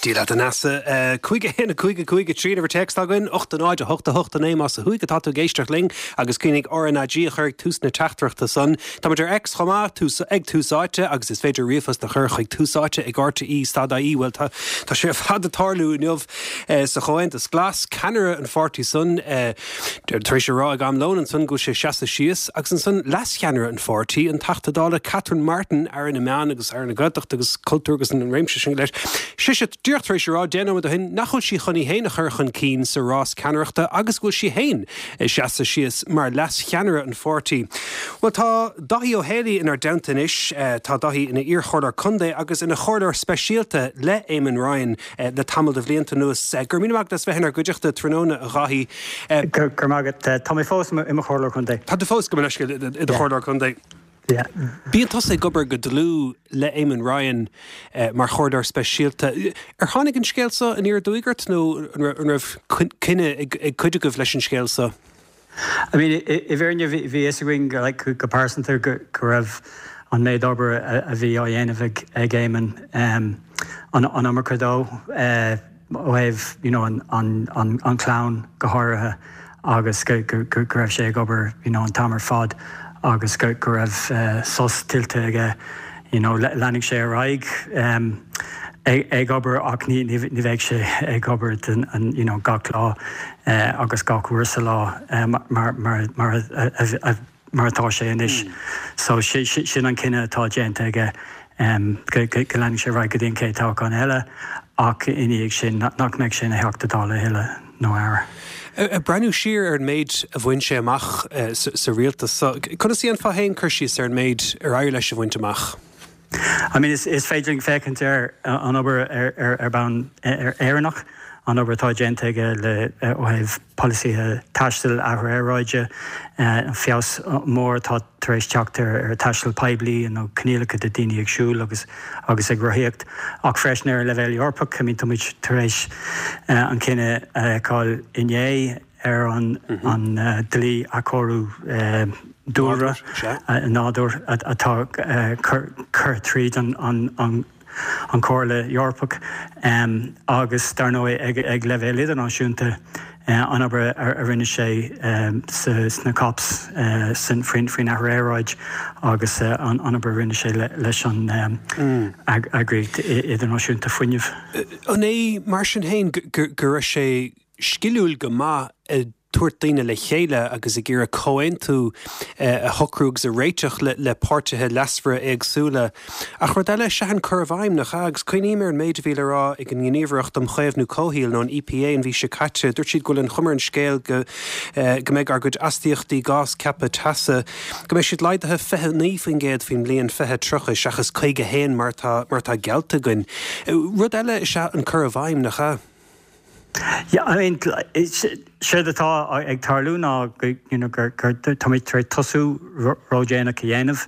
Dia leat a Neasa. 5 1 5 5 3 an uimhir téacs atá againn, 8 0 8 8 9 más ó thuaidh atá tú ag éisteacht linn agus cuimhnigh RnaG a chur ag tús na teachtaireachta san. Táimid ar X chomh maith, tús, ag Tús Áite agus is féidir ríomhphost a chur chuig túsáite ag rte stad ie. Bhuel tá, tá sé ar fad ag tarlú inniu sa Chomhaontas Glas, ceannaire an pháirtí san, Tar éis a rá ag am lóin ansan go bhfuil sé ag seasamh síos, agus ansan leascheannaire an pháirtí, an Teachta Dála Catherine Martin, Aire na Meán agus Aire na Gaeltachta agus Cultúir agus an réimse sin go léir, sise díreach tar éis a rá 10 nóiméad ó shin nach bhfuil sí chun í féin a chur chun cinn sa rás ceannaireachta agus go bhfuil sí féin ag seasamh síos mar leascheannaire an pháirtí. Bhuel tá Dáithí Ó Héalaí inár dteannta anois. Tá Dáithí ina iarchomhairleoir contae agus ina chomhairleoir speisialta le Eamon Ryan. le tamall de bhlianta anuas. Go raibh míle maith agat as bheith inár gcuideachta tráthnóna, a Dháithí. Go raibh maith agat. Tá mé fós i mo chomhairleoir contae. Tá tú fós, gabh mo leithscéal, i do chomhairleoir contae. Bíonn tusa ag obair go dlúth le Eamon Ryan mar chomhairleoir speisialta. Ar tháinig an scéal seo aniar aduaidh ort nó an raibh coinne ag cuid agaibh leis an scéal seo? I mean, i bhfírinne bhí a fhios againn like go pearsanta go raibh an méid obair a bhí á dhéanamh ag ag Éamon an an iomarca dó ó thaobh you know an an an an chlann go háirithe agus go go go raibh sé ag obair you know an t-am ar fad agus go go raibh sos tuillte aige you know leanfaidh sé ar aghaidh ag obair ach ní ní bheidh sé ag obair den an you know gach lá agus gach uair sa lá mar mar mar a mar atá sé anois. So sin an cinneadh atá déanta aige go go leanfaidh sé ar aghaidh go dtí an chéad toghchán eile ach ina dhiaidh sin nach mbeidh sé ina Theachta Dála a thuilleadh nó Aire. Ag breathnú siar ar an méid a bhain sé amach sa rialtas so, conas a dhéanfá féin cur síos ar an méid ar éirigh leis a bhaint amach? I mean is féidir linn féachaint ar an obair ar bhonn Éireannach, an obair atá déanta aige le ó thaobh polasaithe taistil, athrú aeráide, an feabhas mór atá tar éis teacht ar taisteal poiblí nó coinníollacha do daoine ag siúl agus agus ag rothaíocht, ach freisin ar an leibhéal Eorpach. I mean tá muid tar éis an cinneadh a fheiceáil inné ar an an dlí athchóiriú dúlra, nádúir atá curtha tríd an an an Chomhairle Eorpach agus dar ndóigh ag leibhéal idirnáisiúnta an obair a rinne sé sna COPs faoin athrú aeráide agus an obair a rinne sé leis an Eagraíocht Idirnáisiúnta Fuinnimh. An é mar sin féin go raibh sé sciliúil go maith ag tabhairt daoine le chéile agus ag iarraidh comhaontú a shocrú agus a réiteach le páirtithe leasmhara éagsúla. Ach rud eile is ea an cur i bhfeidhm, nach ea? Agus cuimhním ar an méid a bhí le rá ag an nGníomhaireacht um Chaomhnú Comhshaoil, nó an EPA, an mhí seo caite. Dúirt siad go bhfuil an chuma ar an scéal go go mbeidh ár gcuid astaíochtaí gás ceaptha teasa, go mbeidh siad laghdaithe 29% faoin mbliain 2030 seachas 51 mar atá mar atá geallta againn. Rud eile is ea an cur i bhfeidhm, nach ea? Yeah, I mean, séard atá ag tarlú ná go, you know, gur, gur, táimid tar éis tosú ródhéanach a dhéanamh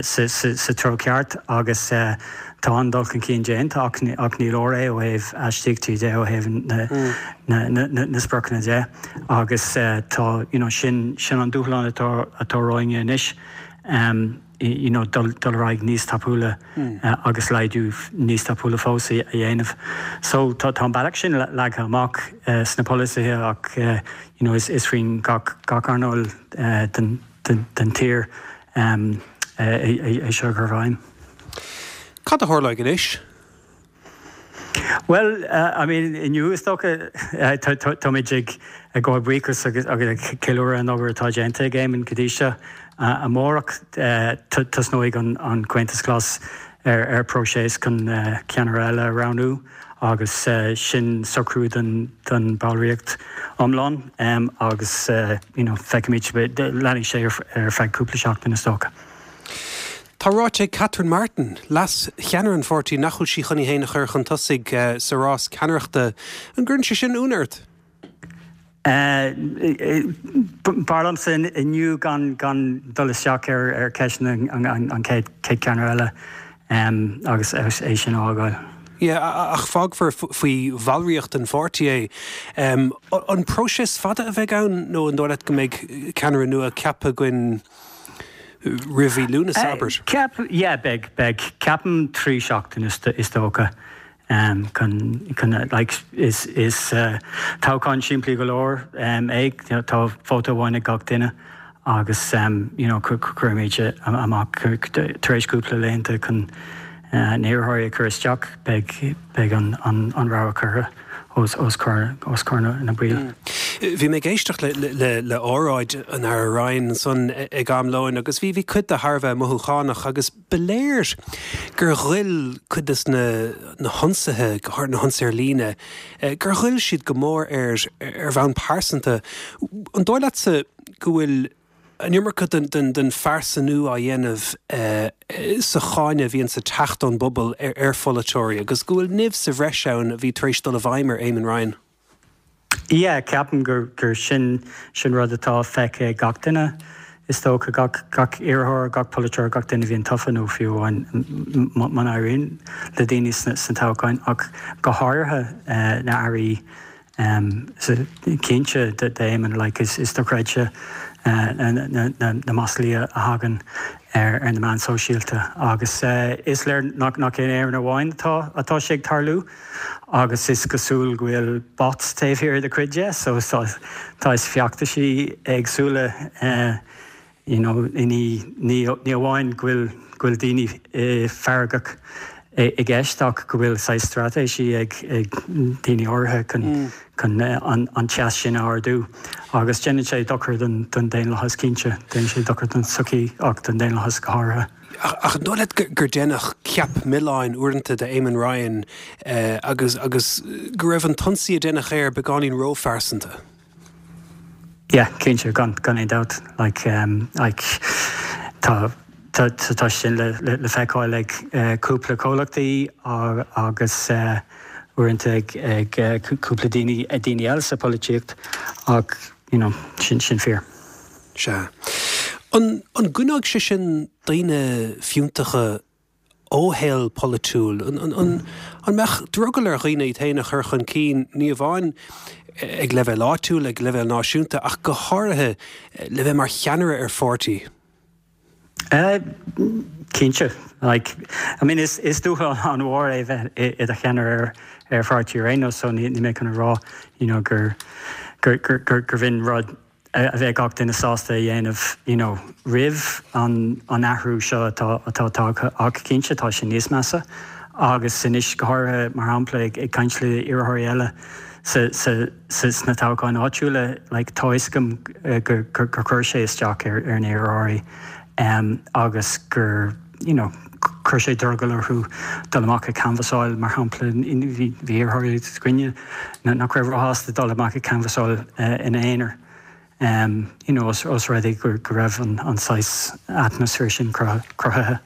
sa, sa, sa treo ceart agus tá an-dul chun cinn déanta ach, ach ní leor é ó thaobh astaíochtaí de, ó thaobh na, na, na, na, na spriocanna de agus tá, you know, sin, sin an dúshlán atá, atá romhainn anois. you know dul dul ar aghaidh níos tapúla agus laghdú níos tapúla fós a dhéanamh. So tá tá an bealach sin leagtha amach sna polasaithe ach you know is is faoin gach gach earnáil den den den tír é é seo a chur i bhfeidhm. Cad a tharlóidh anois? Bhuel, I mean, inniu is dócha, táimid ag gabháil buíochas agus ag ceiliúradh an obair atá déanta ag Éamon go dtí seo. Amárach, tosnóidh an Comhaontas Glas ar próiseas chun ceannaire eile a roghnú agus sin socrú don bhallraíocht iomlán agus you know feicfimid, leanfaidh sé ar feadh cúpla seachtain is dócha. Tá ráite ag Catherine Martin, leas-cheannaire an pháirtí, nach bhfuil sí chun í féin a chur chun tosaigh sa rás ceannaireachta. An gcuireann sé sin ionadh ort? B'fhearr liomsa inniu gan dul isteach ar cheisteanna an chéad cheannaire eile agus é sin a fhágáil. Yeah, ach fágfar faoi bhallraíocht an pháirtí é. An próiseas fada a bheidh ann nó an dóigh leat go mbeidh ceannaire nua ceaptha againn roimh mhí Lúnasa, abair? Ceap, yeah, beidh, beidh. Ceapaim 3 seachtain is dócha. Chun, chun, like, is, is toghchán simplí go leor é, tá vóta amháin ag gach duine agus, you know, cuirfimid amach tar éis cúpla laethanta chun na hiarrthóirí a chur isteach, beidh, beidh an, an, an rogha curtha os, os comhair, os comhair na baill. Bhí mé ag éisteacht le, le, le óráid an Aire Ryan ansan ag am lóin agus bhí, bhí cuid de thar a bheith mothúchánach agus, Ba léir gur ghoill cuid de na hionsaithe, go háirithe na hionsaithe ar líne, gur ghoill siad go mór air ar bhonn pearsanta. An dóigh leatsa go bhfuil an iomarca den phearsanú á dhéanamh sa cháineadh a bhíonns ag teacht ón bpobal ar pholaiteoirí agus go bhfuil nimh sa bhreis ann a bhí tar éis dul i bhfeidhm ar Eamon Ryan? Yeah, ceapaim gur gur sin sin rud atá feicthe ag gach duine, is dócha, gach gach iarrthóir, gach polaiteoir, gach duine a bhíonn tofa nó fiú amháin muna éiríonn le daoine sna sna toghcháin ach go háirithe na airí cinnte d'Éamon like is is dochreidte na na na maslaí a thagann ar ar na meáin sóisialta agus is léir nach nach in Éirinn amháin atá atá sé ag tarlú. agus is cosúil go bhfuil bots taobh thiar de cuid de so tá saghas feachtaisí éagsúla you know ní ní ní amháin go bhfuil go bhfuil daoine feargach i gceist ach go bhfuil saghas straitéisí ag ag daoine áirithe chun chun an an teas sin a ardú agus déanann sé dochar don don daonlathas cinnte, déanann sé dochar don tsochaí ach don daonlathas go háirithe. Ach an dóigh leat gur deineadh ceap milleáin uaireanta de Eamon Ryan agus agus go raibh an t-ionsaí a deineadh air beagáinín róphearsanta? Yeah, cinnte, gan gan aon dabht. Like, like tá tá tá sin le le feiceáil ag cúpla comhlachtaí agus uaireanta ag ag cúpla daoine daoine eile sa pholaitíocht ach you know, sin sin fíor. Sea. An an gcoinneoidh sé sin daoine fiúntacha ó shaol polaitiúil? An an an an mbeadh drogall ar dhaoine iad féin a chur chun cinn, ní amháin ag leibhéal áitiúil, ag leibhéal náisiúnta, ach go háirithe le bheith mar cheannaire ar pháirtí? Cinnte. Like, I mean, is is dúshlán an-mhór é bheith i do cheannaire ar ar pháirtí ar aon nós, so ní ní mé chun a rá, you know, gur gur gur gur gur bh'in rud a bheadh gach duine sásta a dhéanamh, you know, roimh an an athrú seo atá atá tagtha ach cinnte tá sé níos measa agus anois go háirithe, mar shampla, ag ag caint le iarrthóirí eile sa sa sa sna toghcháin áitiúla, like, tá fhios agam gur gur gur chuir sé isteach ar ar na hiarrthóirí agus gur, you know, chuir sé drogall orthu dul amach ag canbhasáil, mar shampla, bhí bhí iarrthóirí againne nach raibh róshásta dul amach ag canbhasáil ina aonar, you know, os rud é go raibh an saghas atmaisféar sin cruthaithe.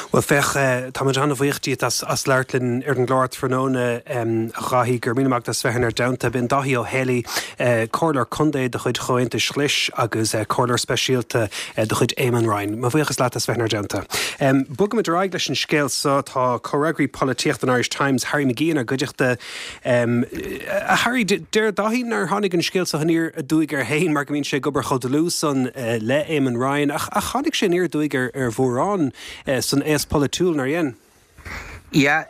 Bhuel, féach, táimid an-bhuíoch díot as labhairt linn ar an gclár tráthnóna, a Dháithí. Go raibh míle maith agat as bheith inár dteannta. B'in Dáithí Ó Héalaí, Comhairleoir Contae de chuid Chomhaontais Ghlais agus Comhairleoir Speisialta de chuid Eamon Ryan. Mo bhuíochas leat as bheith inár dteannta. Bogaimid ar aghaidh leis an scéal seo. Tá comhfhreagraí polaitíochta an Irish Times, Harry McGee inár gcuideachta. A Harry, deir Dáithí nár tháinig an scéal seo aniar aduaidh air féin mar go mbíonn sé ag obair chomh dlúth san le Eamon Ryan, ach tháinig sé aniar aduaidh ar mhórán san aos polaitiúil, nár dhein? Yeah,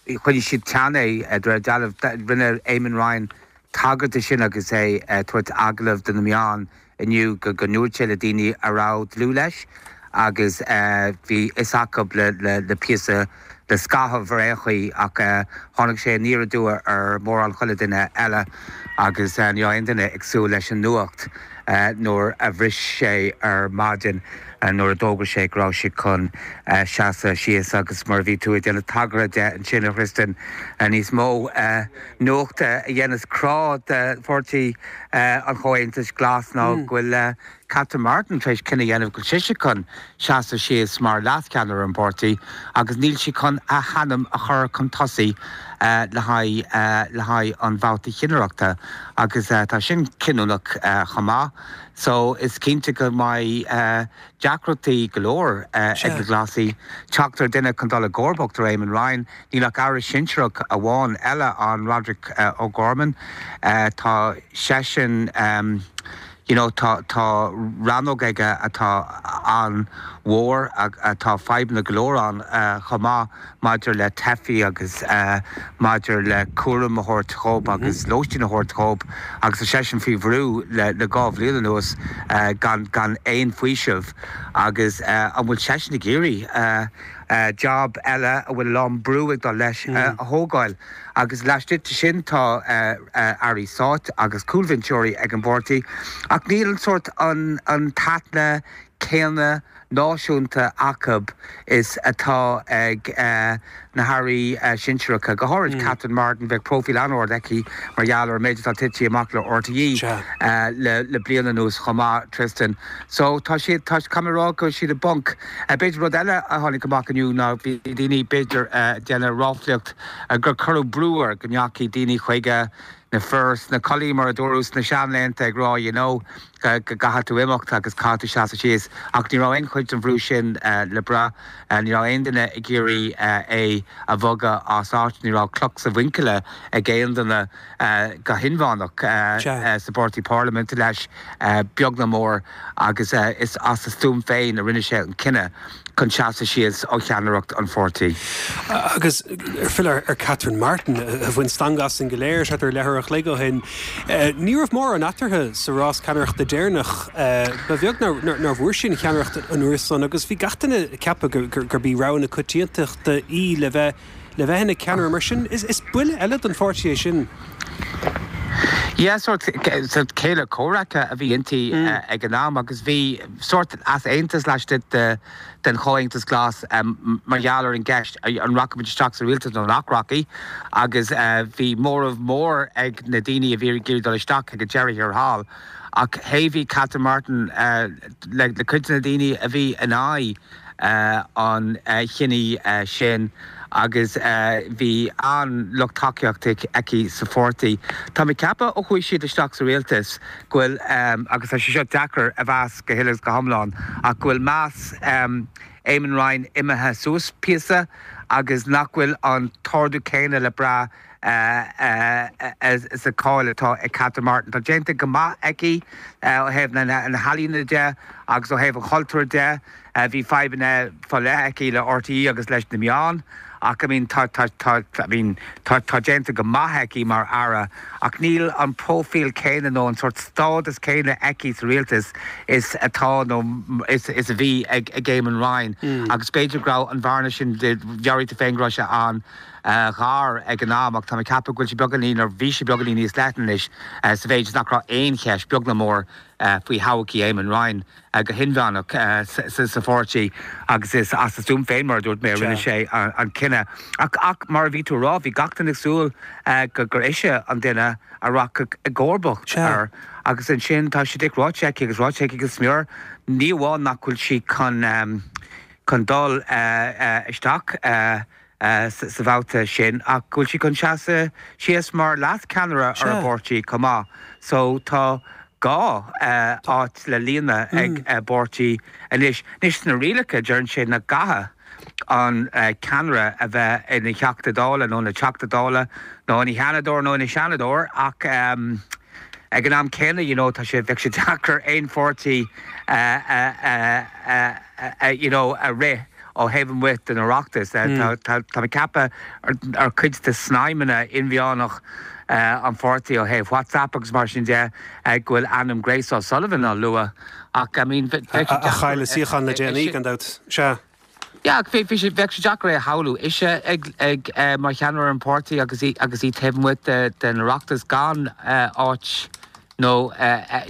choinnigh siad teann é, de réir dealraimh. Rinne Eamon Ryan tagairt de sin agus é ag tabhairt agallamh do na meáin inniu go ndúirt sé le daoine a raibh dlúth leis agus bhí fhios acu le píosa, le scaitheamh ar aon chaoi ach tháinig sé aniar aduaidh ar mórán chuile duine eile agus ní raibh aon duine ag súil leis an nuacht nuair a bhris sé ar maidin nuair a d'fhógair sé go raibh sé chun seasamh síos agus mar a bhí tú ag déanamh tagartha de ansin a Thristan níos mó nuachta a dhéanas crá de pháirtí an Chomhaontais Ghlais ná go bhfuil Catherine Martin tar éis cinneadh a dhéanamh go bhfuil sise chun seasamh síos mar leascheannaire an pháirtí agus níl sí chun a hainm a chur chun tosaigh le haghaidh le haghaidh an bhabhta chinnireachta agus tá sin cinniúnach chomh maith. So is cinnte go mbeidh deacrachtaí go leor ag na Glasaigh teacht ar duine chun dul i gcomharbacht ar Eamon Ryan. Níl ach aire sinsearach amháin eile ann, Roderic O'Gorman. Tá seisean. You know, tá, tá rannóg aige atá an-mhór, atá fadhbanna go leor ann chomh maith maidir le teifigh agus maidir le cúram a thabhairt dhób agus lóistín a thabhairt dhób agus tá seisean faoi bhrú le le dhá bhliain anuas gan, gan aon faoiseamh agus an bhfuil seisean ag iarraidh job eile a bhfuil a lán brú ag dul leis a thógáil? Agus laistigh de sin tá airí stáit agus cúlbhinseoirí ag an bpáirtí, ach níl an sórt, an t-aithne céanna náisiúnta acu is atá ag na hairí sinsearacha, go háirid Catherine Martin, bheadh próifíl an-ard aici mar gheall ar an méid atá tite amach le RTÉ le bliain anuas chomh maith, Tristan. So tá siad, tá, caithfidh mé a rá go bhfuil siad i bponc. B'fhéidir rud eile a tháinig amach inniu ná bhí daoine b'fhéidir ag déanamh ráflaíocht gur cuireadh brú air go ndeachaigh daoine chuige, na fir sna culaithí mar a dúradh sna seanlaethanta ag rá you know go gcaithfidh tú imeacht agus caithfidh tú seasamh síos ach ní raibh aon chuid den bhrú sin le brath. Ní raibh aon duine ag iarraidh é a bhogadh as áit, ní raibh cloch sa mhuinchille ag aon duine go hinmheánach sa bpáirtí parlaiminte leis, beag ná mór, agus is as a stuaim féin a rinne sé an cinneadh. chun seasamh síos ó cheannaireacht an pháirtí. Agus ar filleadh ar Catherine Martin, a bhain stangadh asainn go léir thart ar leathuair a chloig ó shin, ní raibh mórán eatarthu sa rás ceannaireachta deireanach. Ba bheag nár bhfuair sí an cheannaireacht an uair san agus bhí gach duine ag ceapadh gurb í rogha na coitiantachta í le bheith le bheith ina ceannaire. Mar sin, is buille eile don pháirtí é sin. Yeah, sórt céile comhraic a bhí inti ag an am agus bhí sórt easaontas laistigh den Chomhaontas Glas mar gheall ar an gceist an rachadh muid isteach sa rialtas nó nach rachaidh agus bhí móramh mór ag na daoine a bhí ag iarraidh dul isteach ag an deireadh thiar thall ach thaobhaigh Catherine Martin le cuid de na daoine a bhí in aghaidh an chinnidh sin agus bhí an-lucht tacaíochta aici sa pháirtí. Tá mé ag ceapadh ó chuaigh siad isteach sa rialtas go bhfuil, agus tá sé seo deacair a mheas go huile is go hiomlán, ach go bhfuil meas Eamon Ryan imithe suas píosa agus nach bhfuil an t-ardú céanna le brath sa cháil atá ag Catherine Martin. Tá déanta go maith aici ó thaobh na healaíona de agus ó thaobh an chultúir de. Bhí fadhbanna fá leith aici le RTÉ agus leis na meáin ach I mean tá tá tá I mean tá tá déanta go maith aici mar Aire ach níl an próifíl céanna nó an sórt stádas céanna aici sa rialtas is atá nó is is a bhí ag ag Eamon Ryan agus b'fhéidir go raibh an bhearna sin mheabhraigh tú féin go raibh sé an ghar ag an am ach tá mé ag ceapadh go bhfuil sé beagáinín nó bhí sé beagáinín níos leithne anois sa mhéid is nach raibh aon cheist, beag ná mór, faoi thodhchaí Eamon Ryan go hinmheánach sa pháirtí agus is as a stuaim féin, mar a dúirt mé, a rinne sé an cinneadh. Ach mar a bhí tú a rá, bhí gach duine ag súil gur ise an duine a rachadh i gcomharbacht air agus ansin tá sé díreach ráite aici agus ráite aici go smior, ní amháin nach bhfuil sí chun dul isteach sa bhabhta sin ach go bhfuil sí chun seasamh síos mar leas-cheannaire ar an bpáirtí chomh maith. So tá gá áit le líonadh ag an bpáirtí anois. Anois sna rialacha deireann sé nach gcaithfidh an ceannaire a bheith ina Theachta Dála nó ina Teachta Dála nó ina Sheanadóir nó ina Seanadóir ach ag an am céanna you know tá sé bheadh sé deacair aon pháirtí a you know a rith ó thaobh amuigh den Oireachtas. Tá mé ag ceapadh ar chuid de snaidhmeanna inmheánach an pháirtí ó thaobh WhatsApp agus mar sin de go bhfuil ainm Grace O'Sullivan á lua ach I mean bheadh sé deacair. A chaill a suíochán le déanaí gan dabht. Sea. Yeah ach bheadh sé deacair é a shamhlú. Ise ag mar cheannaire ar an pháirtí agus í agus í taobh amuigh den Oireachtas gan áit nó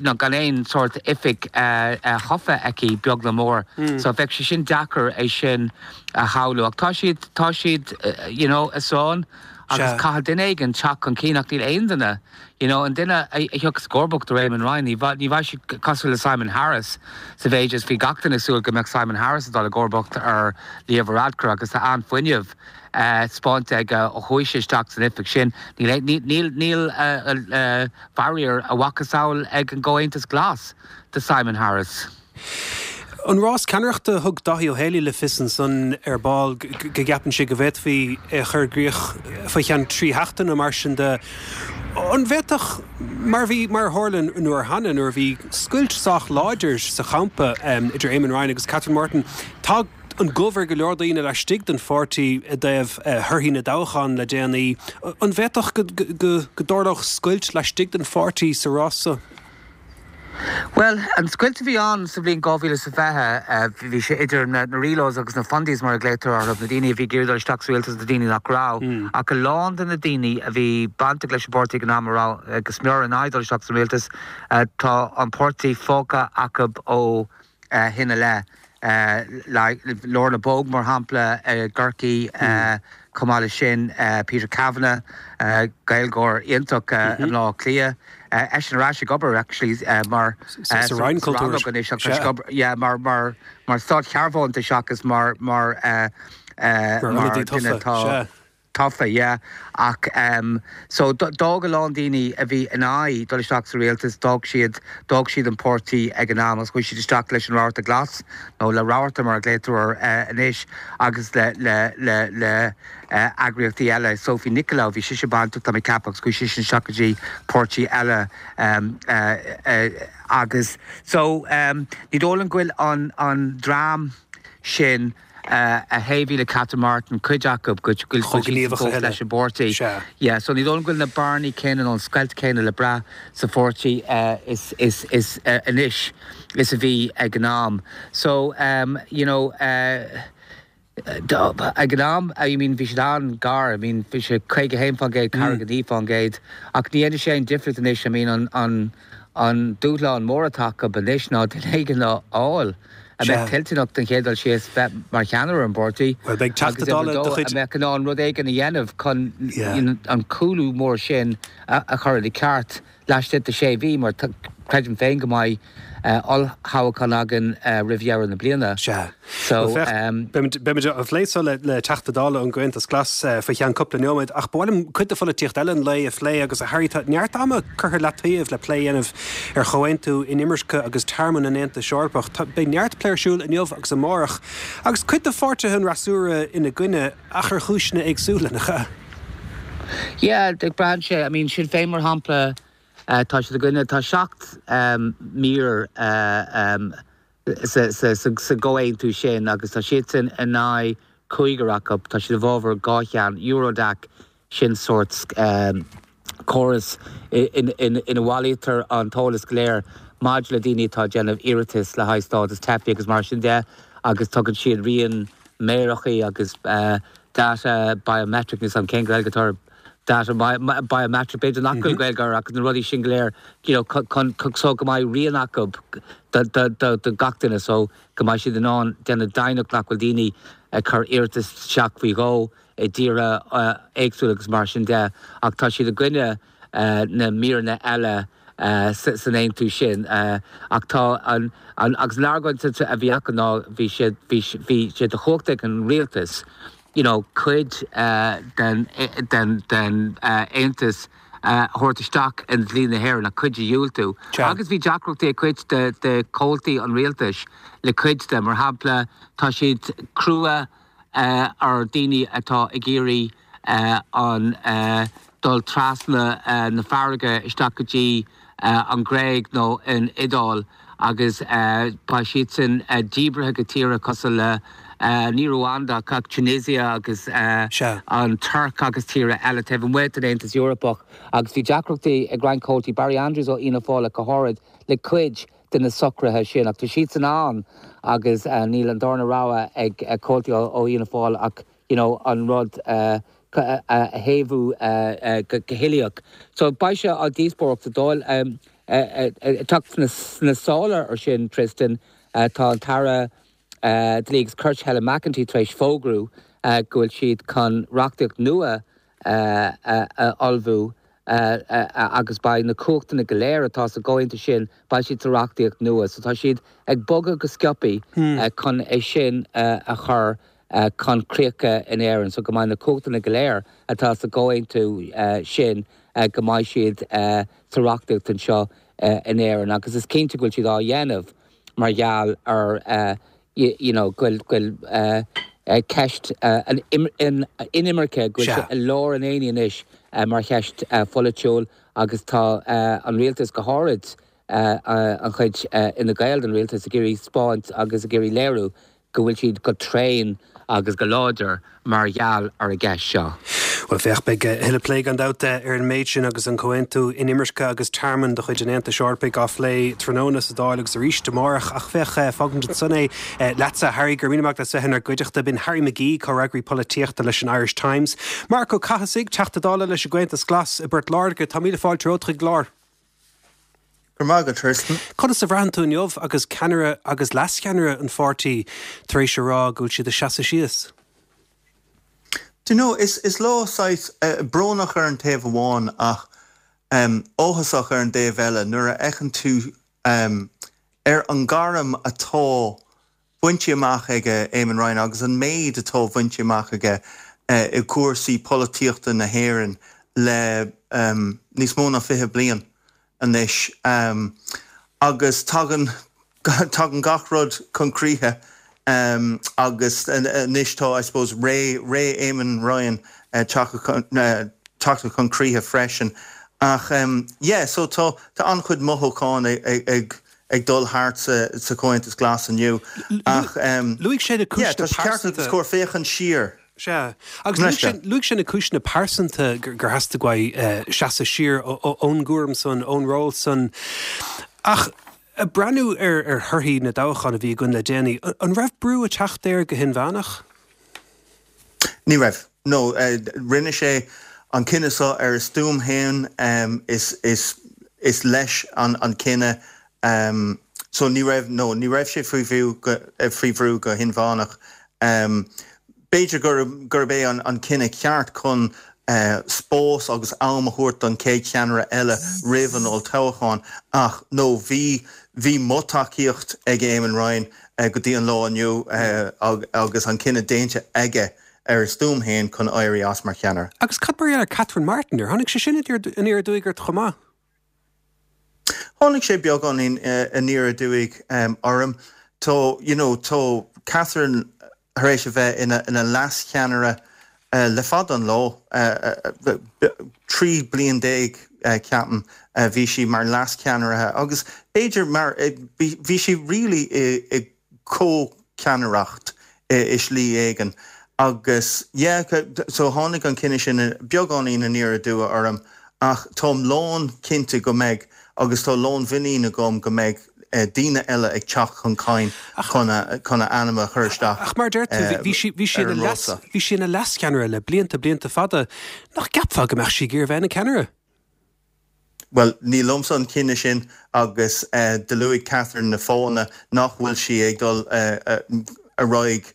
nó gan aon sórt oifig thofa aici, beag nó mór. So bheadh sé sin deacair é sin a shamhlú. Ach tá siad, tá siad you know i sáinn agus caithfidh duine éigin teacht chun cinn ach níl aon duine, you know an duine a thiocfas i gcomharbacht ar Eamon Ryan, ní ní bheidh sé cosúil le Simon Harris sa mhéid is bhí gach duine ag súil go mbeadh Simon Harris ag dul i gcomharbacht ar Leo Varadkar agus tá an-fhuinneamh spáinte aige ó chuaigh sé isteach san oifig sin. Níl, níl, níl faraor a mhacasamhail ag an gComhaontas Glas de Simon Harris. An rás ceannaireachta, thug Dáithí Ó Héalaí le fios ansan ar ball go gceapann sé go bhféadfaí é a chur i gcrích faoi cheann trí sheachtaine nó mar sin de. An bhféadfadh, mar a bhí, mar a tharla an uair cheana nuair a bhí scoilt sách láidir sa champa idir Eamon Ryan agus Catherine Martin, tá an gomh ar go leor daoine laistigh den pháirtí i dtaobh thorthaí na dtoghchán le déanaí. An bhféadfadh go dtarlódh scoilt laistigh den pháirtí sa rás seo? Bhuel, an scoilt a bhí ann sa bhliain 2020, bhí sé idir na Relos agus na Fundies mar a ghlaotar orthu, na daoine a bhí ag iarraidh dul isteach sa rialtas agus na daoine nach raibh. Ach a lán de na daoine a bhí bainteach leis an bpáirtí ag an am a raibh go smior in aghaidh dul isteach sa rialtas, tá an páirtí fágtha acu ó shin i leith. Lorna Bogue, mar shampla, i gCorcaigh, chomh maith leis sin Peter Kavanagh, Gaeilgeoir iontach i mBleá Cliath, eisean ar ais ag obair actually mar sa Roinn Cultúir anois ach tá sé ag obair yeah mar mar mar státshearbhónta seachas mar mar mar duine atá tofa, yeah. Ach em so d'fhág a lán daoine a bhí in aghaidh dul isteach sa rialtas, d'fhág siad, d'fhág siad an páirtí ag an am agus chuaigh siad isteach leis an Rabharta Glas, nó le Rabharta mar a ghlaotar air eh anois, agus le, le, le, le eh eagraíochtaí eile. Sophie Nicolaou, bhí sise bainteach, tá mé ag ceapadh, agus chuaigh sise isteach go dtí páirtí eile em eh eh agus so em ní dóigh liom go bhfuil an, an dream sin, a thaobhaigh le Catherine Martin, cuid acu, go bhfuil Chomh siad gníomhach a fós thuilleadh. leis an bpáirtí. Sea. Yeah, so ní dóigh liom go bhfuil na bearnaí céanna nó an scoilt céanna le brath sa pháirtí is, is, is anois is a bhí ag an am. So, you know, ag an am, I mean, bhí siad an-ghar, I mean, bhí sé 51%, 49%, ach ní dhéanfaidh sé aon difríocht anois, I mean, an, an, An dúshlán mór atá acu anois ná duine éigin a fháil a mbeadh toilteanach don chéad dul síos bheith mar cheannaire ar an bpáirtí agus uimhir a dó a mbeadh in ann rud éigin a dhéanamh chun an cúlú mór sin a chur ina ceart laistigh de sé mhí mar creidim féin go mbeidh olltoghchán againn roimh dheireadh na bliana. Sea. So, Bhuel, féach, beimid, beimid á phlé so le, le Teachta Dála ón gComhaontas Glas faoi cheann cúpla nóiméad, ach ba mhaith liom cuid de pholaitíocht eile an lae a phlé agus, a Harry, tá neart ama curtha leataobh le plé a dhéanamh ar chomhaontú inimirce agus tearmann an Aontais Eorpach. Tá, beidh neart plé ar siúl inniu agus amárach, agus cuid de pháirtithe an fhreasúra ina gcoinne, ach ar chúiseanna éagsúla, nach ea? Yeah, braitheann sé, I mean, Sinn Féin mar shampla, tá siad i gcoinne, tá 7 mír sa gcomhaontú sin agus tá siadsan in aghaidh cúigear acu. Tá siad i bhfabhar dhá cheann, Eurodac, sin sórt córas ina bhailítear an t-eolas go léir maidir le daoine atá ag déanamh iarratais le haghaidh stádas teifigh agus mar sin de agus tugann siad rian méaracha agus data biometric, níl 's a'm cén Ghaeilge atá ar data biometric, b'fhéidir nach bhfuil Gaeilge air ach na rudaí sin go léir you know chun so go mbeidh rian acu do do gach duine so go mbeidh siad in ann déanamh deimhneach nach bhfuil daoine ag cur iarratas isteach faoi dhó i dtíortha éagsúla agus mar sin de ach tá siad i gcoinne na míreanna eile san aontú sin ach tá an agus an argóint a bhí acu ná bhí siad bhí bhí sé de chumhacht ag an rialtas you know, cuid den, den, den Aontas a thabhairt isteach i ndlí na hÉireann ach cuid a dhiúltú. Agus bhí deacrachtaí ag cuid de, de chomhaltaí an rialtais le cuid de. Mar shampla, tá siad crua ar daoine atá ag iarraidh an dul trasna na farraige isteach go dtí an Ghréig nó an Iodáil agus beidh siadsan díbrithe go tíortha cosúil le, ní Rwanda ach Tunisia agus an Tuirc agus tíortha eile taobh amuigh den Aontas Eorpach agus bhí deacrachtaí ag roinnt comhaltaí, Barry Andrews ó Fhianna Fáil ach go háirid, le cuid de na socruithe sin ach tá siadsan ann agus níl an darna rogha ag comhaltaí ó Fhianna Fáil ach you know, an rud a thaobhú go huilíoch. So beidh sé á dhíospóireacht sa Dáil. Ag teacht sna sála ar sin, Tristan, tá an tAire Dlí agus Cirt Helen McEntee tar éis fógrú go bhfuil siad chun reachtaíocht nua a ullmhú agus beidh na cumhachtanna go léir atá sa gcomhaontú sin, beidh siad sa reachtaíocht nua. So tá siad ag bogadh go sciobthaí chun é sin a chur chun críocha in Éirinn so go mbeidh na cumhachtanna go léir atá sa gcomhaontú sin, go mbeidh siad sa reachtaíocht anseo in Éirinn agus is cinnte go bhfuil siad á dhéanamh mar gheall ar you know go bhfuil. Ceist an inimirce, go bhfuil sé i lár an aonaigh anois mar cheist pholaitiúil agus tá an rialtas, go háirid an chuid Fhine Gael den rialtas, ag iarraidh 'spáint agus ag iarraidh léiriú go bhfuil siad go tréan agus go láidir mar gheall ar an gceist seo. Bhuel, féach, beidh a thuilleadh plé gan dabht ar an méid sin agus an Comhaontú Inimirce agus Tearmainn de chuid an Aontais Eorpaigh á phlé tráthnóna sa Dáil agus arís amárach. Ach féach, fágfaimid ansan é leatsa, Harry, go raibh míle maith agat as bheith inár gcuideachta. B'in Harry McGee, comhfhreagraí polaitíochta leis an Irish Times. Marc Ó Cathasaigh, Teachta Dála leis an gComhaontas Glas i bPort Láirge, tá míle fáilte romhat chuig an gclár. Go raibh maith agat, Tristan. Conas a bhraitheann tú inniu agus ceannaire agus leascheannaire an pháirtí tar éis a rá go bhfuil siad ag seasamh síos? Do you know, is is lá saghas brónach ar an taobh amháin ach áthasach ar an dtaobh eile nuair a fheiceann tú ar an gairm atá bainte amach aige Eamon Ryan agus an méid atá bainte amach aige i gcúrsaí polaitíochta na hÉireann le níos mó ná 20 bliain anois agus tagann tagann gach rud chun críche agus anois tá, I suppose, ré ré Eamon Ryan tagtha chun críche freisin. Ach yeah, so tá tá an-chuid mothúchán ag ag dul thart sa Chomhaontas Glas inniu ach Luaigh sé na yeah, tá cúiseanna sé ceart agus pearsanta. cóir féachaint siar. Sea, agus luaigh sé, luaigh sé na cúiseanna pearsanta gur theastaigh uaidh seasamh siar ón gcúram san, ón ról san. Ach ag breathnú ar ar thorthaí na dtoghchán a bhí againn le déanaí, an raibh brú ag teacht air go hinmheánach? Ní raibh. No, rinne sé an cinneadh seo ar a stuaim féin, is, is, is leis an, an cinneadh. So ní raibh, no, ní raibh sé faoi bhrú go, faoi bhrú go hinmheánach. B'fhéidir gurb, gurb é an, an cinneadh ceart chun spás agus am a thabhairt don chéad cheannaire eile roimh an olltoghchán ach, no, bhí, bhí mo tacaíocht ag Eamon Ryan go dtí an lá inniu agus an cinneadh déanta aige ar a stuaim féin chun éirí as mar cheannaire. Agus cad mar gheall ar Catherine Martin? Ar tháinig sé sin aniar aduaidh ort chomh maith? Tháinig sé beagáinín aniar aduaidh orm. Tá, you know, tá Catherine tar éis a bheith ina leascheannaire le fada an lá, 13 bliain ceapaim, bhí sí mar leascheannaire agus b'fhéidir mar, bhí sí really i comhcheannaireacht i slí éigin agus yeah so tháinig an cinneadh sin beagáinín aniar aduaidh orm ach táim lán cinnte go mbeidh agus tá lánmhuinín agam go mbeidh daoine eile ag teacht chun cinn chun a chun a ainm a chur isteach Ach mar a deir tú, bhí sí bhí sí ina leas bhí sí ina leascheannaire le blianta blianta fada. Nach gceapfá go mbeadh sí ag iarraidh a bheith ina ceannaire? Bhuel, ní liomsa an cinneadh sin agus do luaigh Catherine na fáthanna nach bhfuil sí ag dul ar aghaidh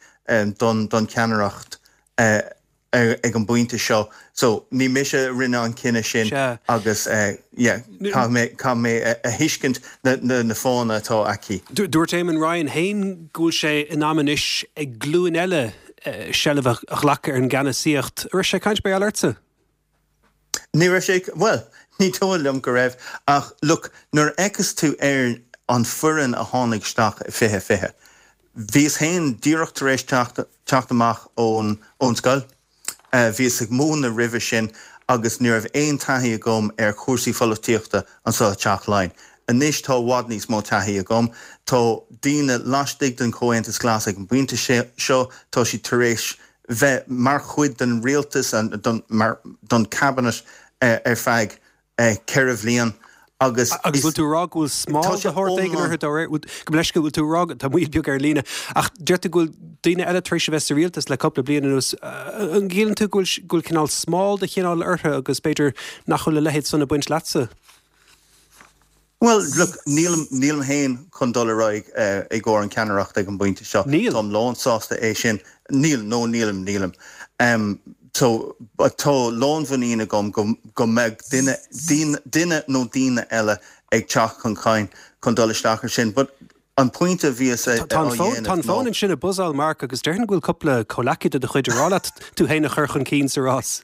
don cheannaireacht ag an bpointe seo. So, ní mise a rinne an cinneadh sin agus yeah, caithfidh mé, caithfidh mé a thuiscint na fáthanna atá aici. Dúirt Eamon Ryan féin go bhfuil sé in am anois ag glúin eile seilbh a ghlacadh ar an gceannasaíocht. An raibh sé ag caint mar gheall ortsa? Ní raibh sé, bhuel, ní dóigh liom go raibh, ach look, nuair a fheiceas tú ar an foireann a tháinig isteach i 2020, bhíos féin díreach tar éis teacht, teacht amach ón, ón scoil, bhíos ag múineadh roimhe sin agus ní raibh aon taithí agam ar chúrsaí pholaitíochta anseo i dTeach Laighean. Anois tá i bhfad níos mó taithí agam, tá daoine laistigh den Chomhaontas Glas ag an bpointe seo, tá siad tar éis bheith mar chuid den rialtas, don cabinet ar feadh 4 bhliain agus Agus bhfuil tú ag rá go bhfuil smál de shórt éigin orthu dá réir? Gabh mo leithscéal, bhfuil tú ag rá, tá moill beag ar an líne, ach deir tú go bhfuil daoine eile tar éis a bheith sa rialtas le cúpla bliain anuas, an gciallaíonn tú go bhfuil cineál smál de chineál orthu agus b'fhéidir nach bhfuil a leithéid san ag baint leatsa? Bhuel, look, nílim, nílim féin chun dul ar aghaidh i gcomhair an ceannaireacht ag an bpointe seo. Níl. Táim lán-sásta é sin. Níl, no, nílim, nílim. So, tá lánmhuinín agam go, go mbeidh duine, daoine, duine nó daoine eile ag teacht chun cinn chun dul isteach ar sin. But an pointe a bhíos á Tá an fón, tá dhéanamh an fón ná. ansin ag buzzáil, Mark, agus déarfainn go bhfuil cúpla comhleacaí de do chuid ag rá leat tú féin a chur chun cinn sa rás.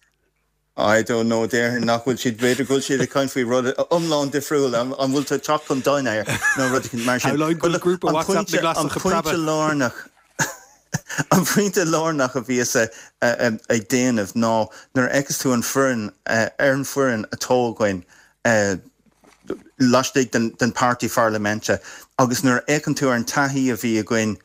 I don't know, déarfainn nach bhfuil siad, b'fhéidir go bhfuil siad ag caint faoi rud iomlán difriúil, an bhfuil tú ag teacht chun dinnéir nó rud eicínt mar sin. Shamhlóinn go bhfuil grúpa An WhatsApp na pointe, an nGlasach ag pointe preabadh. lárnach, An pointe lárnach a bhíos ag déanamh ná nuair a fheiceas tú an foireann, ar an foireann atá againn laistigh den páirtí pharlaiminte agus nuair a fhéachann tú ar an taithí a bhí againn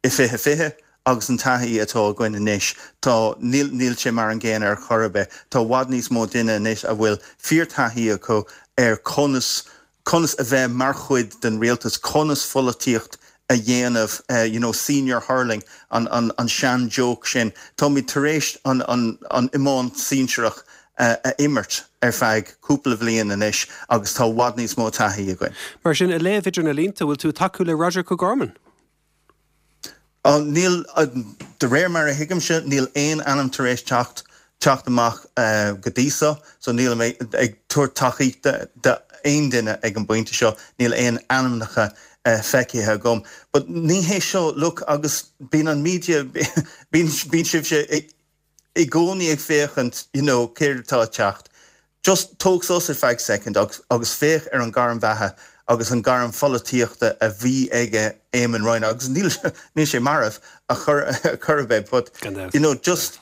i 2020 agus an taithí atá againn anois, tá, níl, níl sé mar an gcéanna ar chor ar bith. Tá i bhfad níos mó duine anois a bhfuil fíorthaithí acu ar conas conas a bheith mar chuid den rialtas, conas pholaitíocht a dhéanamh, you know, senior hurling, an, an, an sean-joke sin. Táimid tar éis an, an, an iomáint sinsearach a imirt ar feadh cúpla bhliain anois agus tá i bhfad níos mó taithí againn. Mar sin, ag léamh idir na línte, bhfuil tú ag tacú le Roderic O'Gorman? Níl, de réir mar a thuigimse, níl aon ainm tar éis teacht teacht amach go dtí so, so nílim ag tabhairt tacaíochta d'aon duine ag an bpointe seo, níl aon ainmneacha feicthe agam. But ní hé seo, look, agus bíonn an media, bíonn bíonn sibhse i gcónaí ag féachaint you know céard atá ag teacht. Just tóg sos ar feadh soicind agus agus féach ar an gairm bheatha agus an gairm pholaitíochta a bhí aige Eamon Ryan agus níl níl sé marbh a chor a chor ar bith but Gan dabht. you know just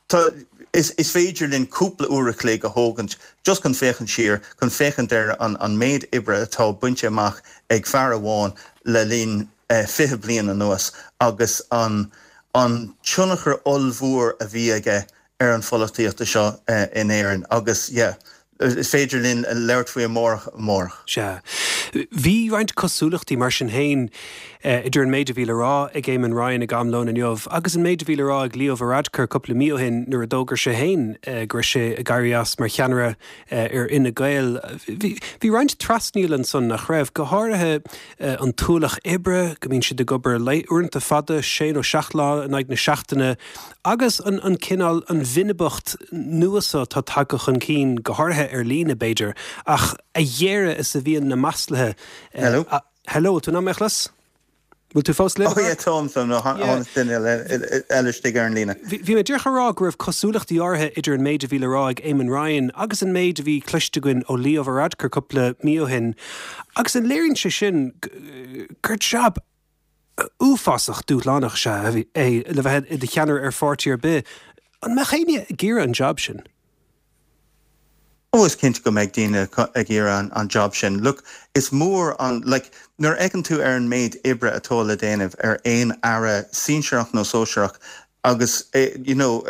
tá is is féidir linn cúpla uair a chloig a thógaint just chun féachaint siar, chun féachaint ar an an méid oibre atá bainte amach ag fear amháin le linn 20 bliain anuas agus an an tionchar ollmhór a bhí aige ar an pholaitíocht seo in Éirinn agus yeah is féidir linn labhairt faoi amárach amárach. Sea. Bhí roinnt cosúlachtaí mar sin féin idir an méid a bhí le rá ag Eamon Ryan ag am lóin inniu agus an méid a bhí le rá ag Leo Varadkar cúpla mí ó shin nuair a d'fhógair sé féin go raibh sé ag éirí as mar cheannaire ar Fhine Gael. Bhí roinnt trasnaíl ansan, nach raibh? Go háirithe an t-ualach oibre, go mbíonn siad ag obair uaireanta fada, sé nó seacht lá in aghaidh na seachtaine, agus an an cineál, an bhinibeacht nua so atá tagtha chun cinn, go háirithe ar líne, b'fhéidir, ach a ghéire is a bhíonn na maslaithe. Hello? Hello, tú in ann mé a chlos? Bhfuil tú fós linn? Oh yeah, táim, táim, no, tháinig duine eile istigh ar an líne. Bhí mé díreach a rá go raibh cosúlachtaí áirithe idir an méid a bhí le rá ag Eamon Ryan agus an méid a bhí cloiste againn ó Leo Varadkar cúpla mí ó shin, agus an léiríonn sé sin gur jab uafásach dúshlánach is ea é le bheith i do cheannaire ar pháirtí ar bith. An mbeadh éinne ag iarraidh an jab sin? Oh is cinnte go mbeidh daoine ag iarraidh an job sin. Look, is mór an, like, nuair a fheiceann tú ar an méid oibre atá le déanamh ar aon aire sinsearach nó sóisearach agus you know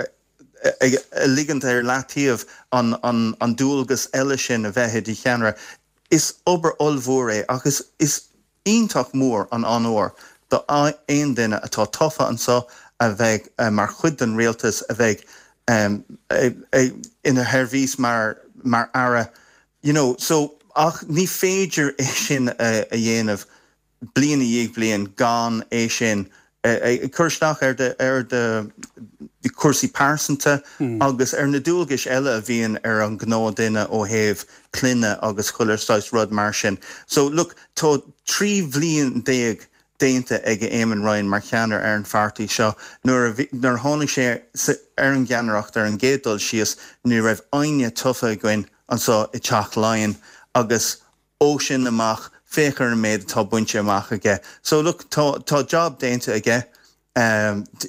ag ligint ar leataobh an an an dualgas eile sin a bheith i do cheannaire, is obair ollmhór é ach is is iontach mór an onóir do aon duine atá tofa anseo a bheidh mar chuid den rialtas, a bheidh ina sheirbhís mar mar aire, you know. So, ach ní féidir é sin a dhéanamh bliain i ndiaidh bliain gan é sin ag cur isteach ar do ar do chúrsaí pearsanta agus ar na dualgais eile a bhíonn ar an gnáthdhuine ó thaobh clainne agus chuile saghas rud mar sin. So look, tá 13 bhliain déanta ag Eamon Ryan mar cheannaire ar an pháirtí seo. Nuair a bhí, nuair a tháinig sé ar an gceannaireacht ar an gcéad dul síos, ní raibh éinne tofa againn anseo i dTeach Laighean agus Ó sin amach, féach ar an méid atá bainte amach aige. So look, tá, tá job déanta aige.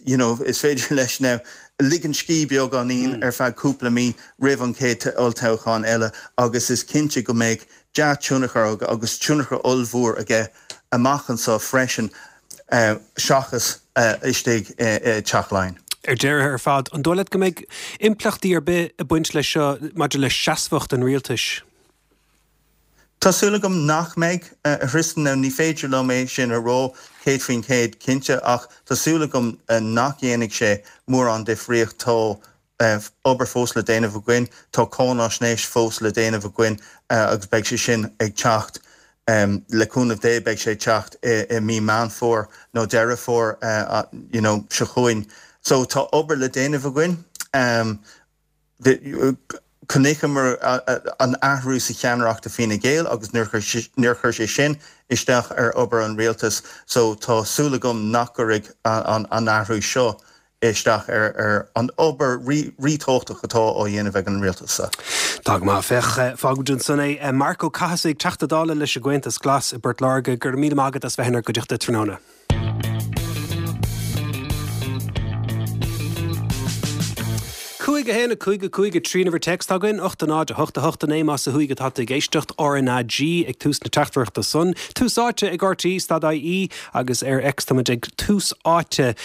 You know, is féidir leis now ligean scíth beagáinín ar feadh cúpla mí roimh an chéad olltoghchán eile agus is cinnte go mbeidh dea-tionchar agus tionchar ollmhór aige amach anseo freisin seachas istigh i Teach Laighean. Ar deireadh ar fad, an dóigh leat go mbeidh impleachtaí ar bith ag baint leis seo maidir le seasmhacht an rialtais? Tá súil agam nach mbeidh, a Thristan. Now ní féidir liom é sin a rá 100% cinnte ach tá súil agam nach dhéanfaidh sé mórán difríocht. Tá obair fós le déanamh againn, tá cáináisnéis fós le déanamh againn agus beidh sé sin ag teacht, le cúnamh Dé, beidh sé ag teacht i mí Meán Fómhair nó Deireadh Fómhair you know seo chugainn. So tá obair le déanamh againn. Chonaiceamar an athrú sa cheannaireacht i Fine Gael agus níor chuir sé sin isteach ar obair an rialtais so tá súil agam nach gcuirfidh an athrú seo isteach ar an obair ríthábhachtach atá á dhéanamh ag an rialtas seo. Tá go maith. Féach, fágfaimid ansan é. Marc Ó Cathasaigh, Teachta Dála leis an gComhaontas Glas i bPort Láirge, go raibh míle maith agat as bheith inár gcuideachta tráthnóna. 5, 1, 5, 5, 3 an uimhir téacs atá againn, 8, 0, 8, 8, 9 más ó thuaidh atá tú ag éisteacht, RnaG ag tús na teachtaireachta san. Tús Áite ag RTÉ stad IE agus ar X táimid ag Tús Áite.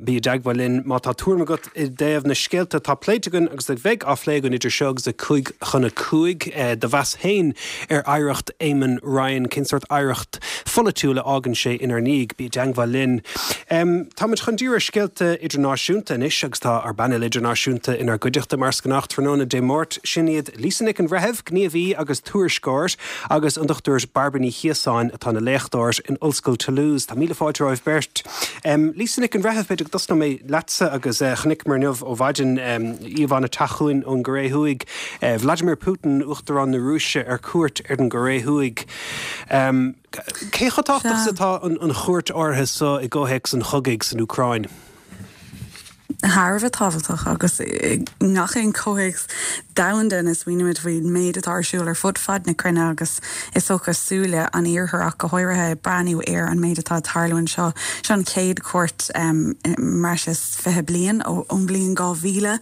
Bí i dteagmháil linn má tá tuairim agat i dtaobh na scéalta atá pléite againn agus a bheidh á phlé againn idir seo agus a 5 chun a 5. Do mheas féin ar oidhreacht Eamon Ryan, cén sórt oidhreacht pholaitiúil a fhágann sé inár ndiaidh? Bí i dteagmháil linn. Táimid chun díriú ar scéalta idirnáisiúnta anois agus tá ár bpainéal idirnáisiúnta inár gcuideachta mar is gnách tráthnóna Dé Máirt. Sin iad Lisa Nic an Bhreithimh, gníomhaí agus tuairisceoir, agus an Dr Bairbre Ní Chiosáin atá ina léachtóir in Ollscoil Toulouse. Tá míle fáilte romhaibh beirt. Lisa Nic an Bhreithimh, b'fhéidir go dtosnóidh mé leatsa agus chonaiceamar inniu ó mhaidin íomhánna ag teacht chugainn ón gCóiré Thuaidh, Vladimir Putin, Uachtarán na Rúise, ar cuairt ar an gCóiré Thuaidh. Cé chomh tábhachtach is atá an chuairt áirithe so i gcomhthéacs an chogaidh san Úcráin? Thar a bheith tábhachtach agus i ngach aon chomhthéacs domhanda ina smaoinímid faoin méid atá ar siúl ar fud fad na cruinne agus is dócha súile an Iarthair ach go háirithe ag breathnú ar an méid atá ag tarlú anseo. Seo an chéad chuairt i mbreis is 20 bliain ón bhliain 2000.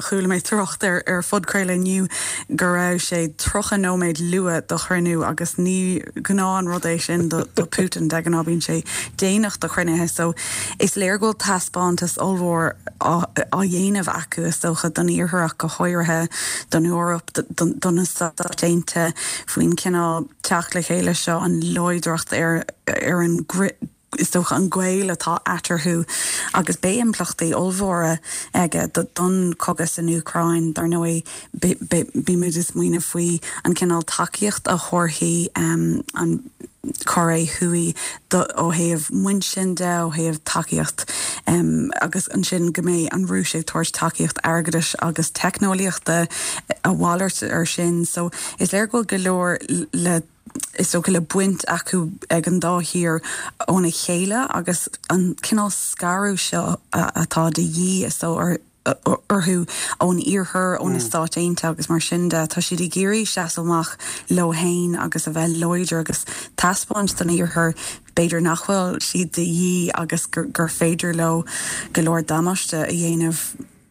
Chuala mé trácht ar ar phodchraoladh inniu go raibh sé 30 nóiméad luath do chruinniú agus ní gnáth an rud é sin do Putin, de ghnáth bíonn sé déanach do chruinnithe. So is léir go bhfuil taispeántas ollmhór á dhéanamh acu is dócha don Iarthar ach go háirithe don Eoraip, do na Stáit Aontaithe faoin chineál teacht le chéile seo, an láidreacht ar an is dócha, an gaol atá eatarthu agus beidh impleachtaí ollmhóra aige don chogadh san Úcráin. Dar ndóigh, bímid ag smaoineamh faoi an cineál tacaíocht a thabharfaidh an Chóiré Thuaidh ó thaobh muinsin de, ó thaobh tacaíocht agus ansin go mbeidh an Rúis ag tabhairt tacaíocht airgeadais agus teicneolaíochta a mhalairt ar sin. So is léir go bhfuil go leor le. is dócha, le baint acu ag an dá thír óna chéile agus an cineál scaradh seo atá de dhíth, is dóigh, orthu ón Iarthar, ó na Stáit Aontaithe agus mar sin de. Tá siad ag iarraidh seasamh amach leo féin agus a bheith láidir agus taispeáint don Iarthar b'fhéidir nach bhfuil siad de dhíth agus gur féidir leo go leor damáiste a dhéanamh.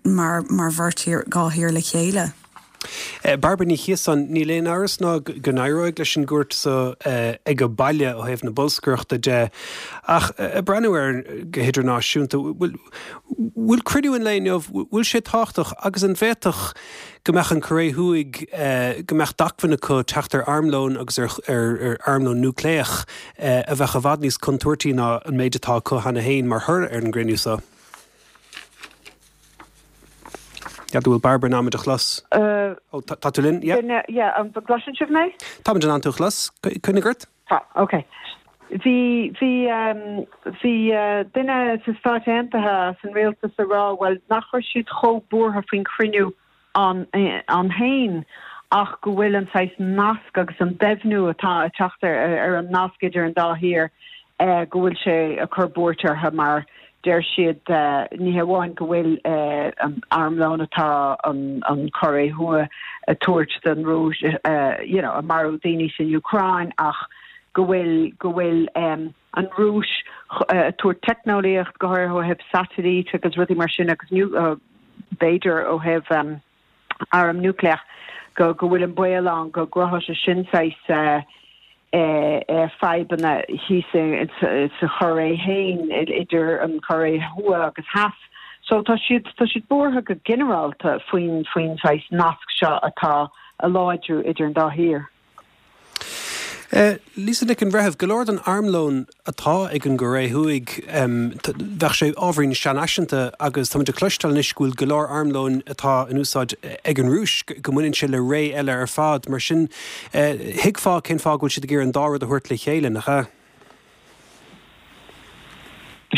mar mar bheirt thír, 2 thír le chéile. Bairbre Ní Chiosáin, Níl aon amhras ná go n-éireoidh leis an gcuairt so ag baile ó thaobh na bolscaireachta de, ach ag breathnú air go hidirnáisiúnta, bhfuil cruinniú an lae inniu, bhfuil sé tábhachtach agus an bhféadfadh go mbeadh an Choiré Thuaidh, go mbeadh d'acmhainn acu teacht ar armlón agus ar armlón núicléach a bheadh i bhfad níos contúirtí ná an méid atá acu cheana féin mar thoradh ar an gcruinniú so? N'fheadar an bhfuil Bairbre in ann muid a chlos. Ó, tá tú linn? Yeah. Duine, yeah, an gcloiseann sibh mé? Táimid in ann tú a chlos. Coinnigh ort. Tá, ok. Bhí, bhí, bhí duine sna Stáit Aontaithe as an rialtas ag rá, bhuel, nach raibh siad chomh buartha faoin chruinniú ann féin ach go bhfuil an saghas nasc agus an doimhniú atá ag teacht ar an nasc idir an dá thír, go bhfuil sé ag cur buairt orthu mar deir siad ní hamháin go bhfuil an armlón atá an Chóiré Thuaidh ag tabhairt don Rúis you know ag marú daoine san Úcráin ach go bhfuil go bhfuil an Rúis ag tabhairt teicneolaíocht go háirithe ó thaobh satailít agus rudaí mar sin agus b'fhéidir ó thaobh arm núicléach go go bhfuil an baol ann go gcruthódh sé sin saghas fadhbanna thíos sa Chóiré féin idir an Chóiré Thuaidh agus Theas. So tá siad tá siad buartha go ginearálta faoin faoin saghas nasc seo atá ag láidriú idir an dá thír. Lisa Nic an Bhreithimh, go leor den armlón atá ag an gCóiré Thuaidh, bheadh sé ábhairín seanfhaiseanta agus táimid ag cloisteáil anois go bhfuil go leor armlóin atá in úsáid ag an Rúis, go mbaineann sé le ré eile ar fad. Mar sin, thuigfeá cén fáth go bhfuil siad ag iarraidh an dá rud a thabhairt le chéile, nach ea?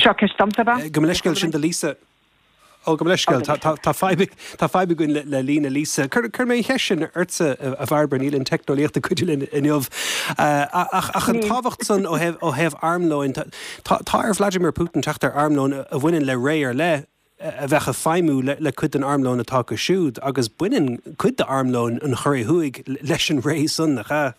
Seo ceist domsa, ab ea? Gabh mo leithscéal, sin do Lisa. Ó, gabh mo leithscéal. Tá fadhb, tá fadhb againn le líne Lisa. Cuirfidh mé an cheist sin ortsa, a Bhairbre, níl an teicneolaíocht ag cuidiú linn inniu. Ach an tábhacht san ó thaobh, ó thaobh armlóin, tá, tá ar Vladimir Putin teacht ar armlón a bhaineann le ré ar leith a bheadh ag feidhmiú le, le cuid den armlón atá acu siúd agus baineann cuid d'armlón an Chóiré Thuaidh leis an ré san, nach ea?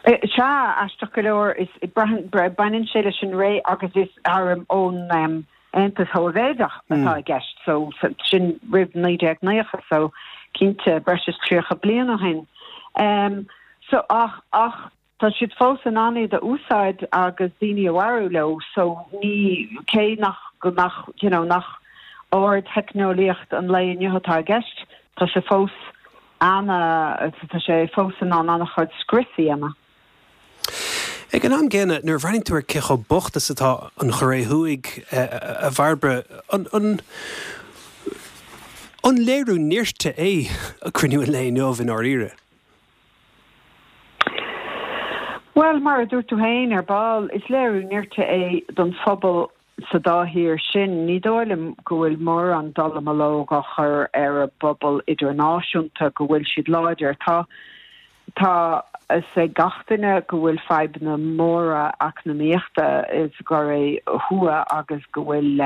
Sea, aisteach go leor, is, braitheann, baineann sé leis an ré agus is arm ón. Aontas Shóivéadach atá i gceist so sin roimh 1990 so cinnte breis is 30 bliain ó shin. So ach ach tá siad fós in ann iad a úsáid agus daoine a mharú leo so ní cé nach go nach you know nach ardtheicneolaíocht an lae inniu atá i gceist tá sé fós ana tá sé fós in ann an-chuid scrios a dhéanamh. Ag an am gcéanna, nuair a bhreathnaíonn tú ar cé chomh bocht is atá an Chóiré Thuaidh, a Bhairbre, an an léiriú nirt é cruinniú an lae inniu i ndáiríre? Bhuel, mar a dúirt tú féin ar ball, is léiriú nirt é don phobal sa dá thír sin, ní dóigh liom go bhfuil mórán dallamullóg á chur ar an bpobal idirnáisiúnta go bhfuil siad láidir. Tá tá a fhios ag gach duine go bhfuil fadhbanna móra eacnamaíochta sa gCóiré Thuaidh agus go bhfuil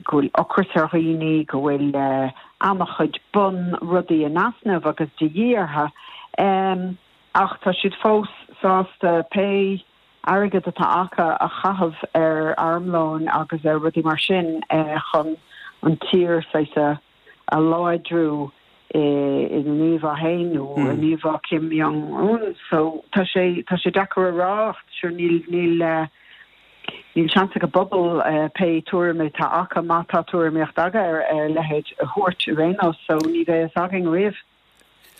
go bhfuil ocras ar dhaoine, go bhfuil an-chuid bunrudaí in easnamh agus de dhíth orthu. Ach tá siad fós sásta pé airgead atá acu a chaitheamh ar armlóin agus ar rudaí mar sin chun an tír saghas a láidriú ina n-íomhá féin nó in íomhá Kim Jong Un. So tá sé tá sé deacair a rá ach sure níl níl níl seans ag an bpobal pé tuairim atá acu má tá tuairimíocht acu ar a leithéid a thabhairt ar aon nós so ní bheidh fhios againn riamh.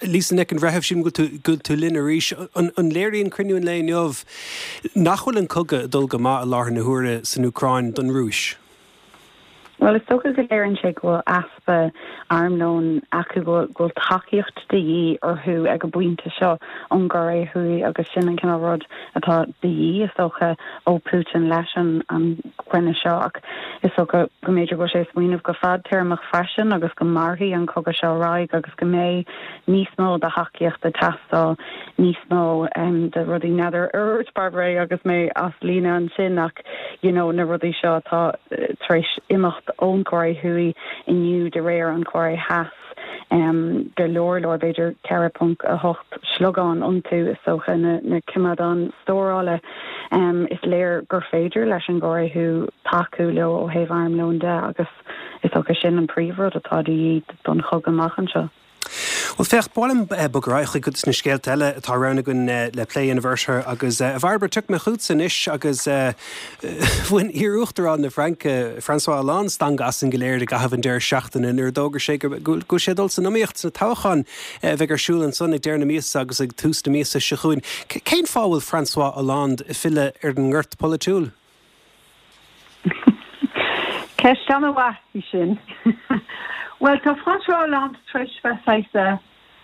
Lisa Nic an Bhreithimh, sílim go bhfuil tú linn arís. An léiríonn cruinniú an lae inniu nach bhfuil an cogadh ag dul go maith i láthair na huaire san Úcráin don Rúis? Bhuel, is dócha go léiríonn sé go bhfuil easpa armlóin acu, go bhfuil tacaíocht de dhíth orthu ag an bpointe seo ón gCóiré Thuaidh agus sin an cineál rud atá de dhíth, is dócha, ó Putin leis an gcruinniú seo. Ach is dócha go mb'fhéidir go bhfuil sé ag smaoineamh go fadtéarmach freisin agus go mairfidh an cogadh seo ar aghaidh agus go mbeidh níos mó de thacaíocht ag teastáil, níos mó de rudaí. N'fheadar ar dhúirt Bairbre é agus mé as líne ansin ach you know na rudaí seo atá tar éis imeacht ón Chóiré Thuaidh inniu de réir an Chóiré Theas, go leor leor, b'fhéidir 4.8 sliogán iontu is dócha, na coimeádáin stórála. Is léir gur féidir leis an gCóiré Thuaidh tacú leo ó thaobh armlóin de agus is dócha sin an príomhrud atá de dhíth don chogadh amach anseo. Bhuel, féach, ba mhaith liom bogadh ar aghaidh chuig cuid de na scéalta eile atá roghnaithe againn le plé a dhéanamh orthu agus, a Bhairbre, tiocfaidh mé chugatsa anois agus bhain iar-uachtarán na Fraince, François Hollande, stangadh asainn go léir i gcaitheamh an deireadh seachtaine nuair a d'fhógair sé go bhfuil sé ag dul san iomaíocht sna toghcháin a bheidh ar siúl ansan ag deireadh na míosa agus ag tús na míosa seo chugainn. Cén fáth a bhfuil François Hollande ag filleadh ar an ngort polaitiúil? Ceist an-mhaith í sin. Bhuel, tá François Hollande tar éis bheith saghas